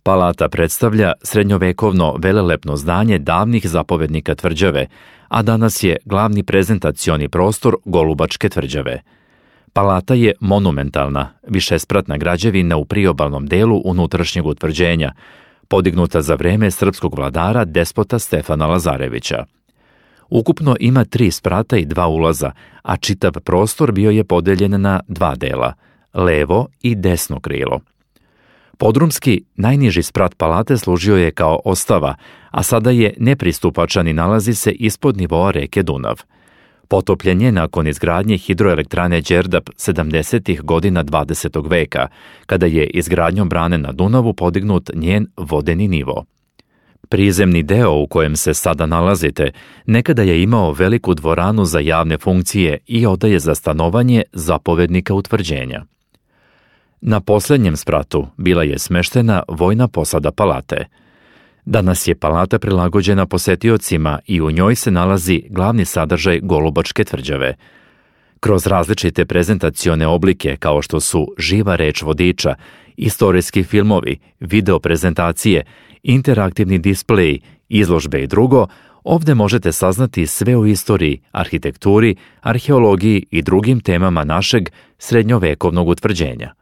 Palata predstavlja srednjovekovno velelepno zdanje davnih zapovednika tvrđave, a danas je glavni prezentacioni prostor Golubačke tvrđave. Palata je monumentalna, višespratna građevina u priobalnom delu unutrašnjeg utvrđenja, podignuta za vreme srpskog vladara despota Stefana Lazarevića. Ukupno ima 3 sprata i 2 ulaza, a čitav prostor bio je podeljen na 2 dela, levo i desno krilo. Podrumski, najniži sprat palate služio je kao ostava, a sada je nepristupačan i nalazi se ispod nivoa reke Dunav. Potopljen je nakon izgradnje hidroelektrane Đerdap 70. godina 20. veka, kada je izgradnjom brane na Dunavu podignut njen vodeni nivo. Prizemni deo u kojem se sada nalazite nekada je imao veliku dvoranu za javne funkcije i odaje za stanovanje zapovednika utvrđenja. Na posljednjem spratu bila je smeštena vojna posada palate. Danas je palata prilagođena posetiocima i u njoj se nalazi glavni sadržaj Golubačke tvrđave. Kroz različite prezentacione oblike kao što su živa reč vodiča, istorijski filmovi, video prezentacije, interaktivni displej, izložbe i drugo, ovdje možete saznati sve o istoriji, arhitekturi, arheologiji i drugim temama našeg srednjovekovnog utvrđenja.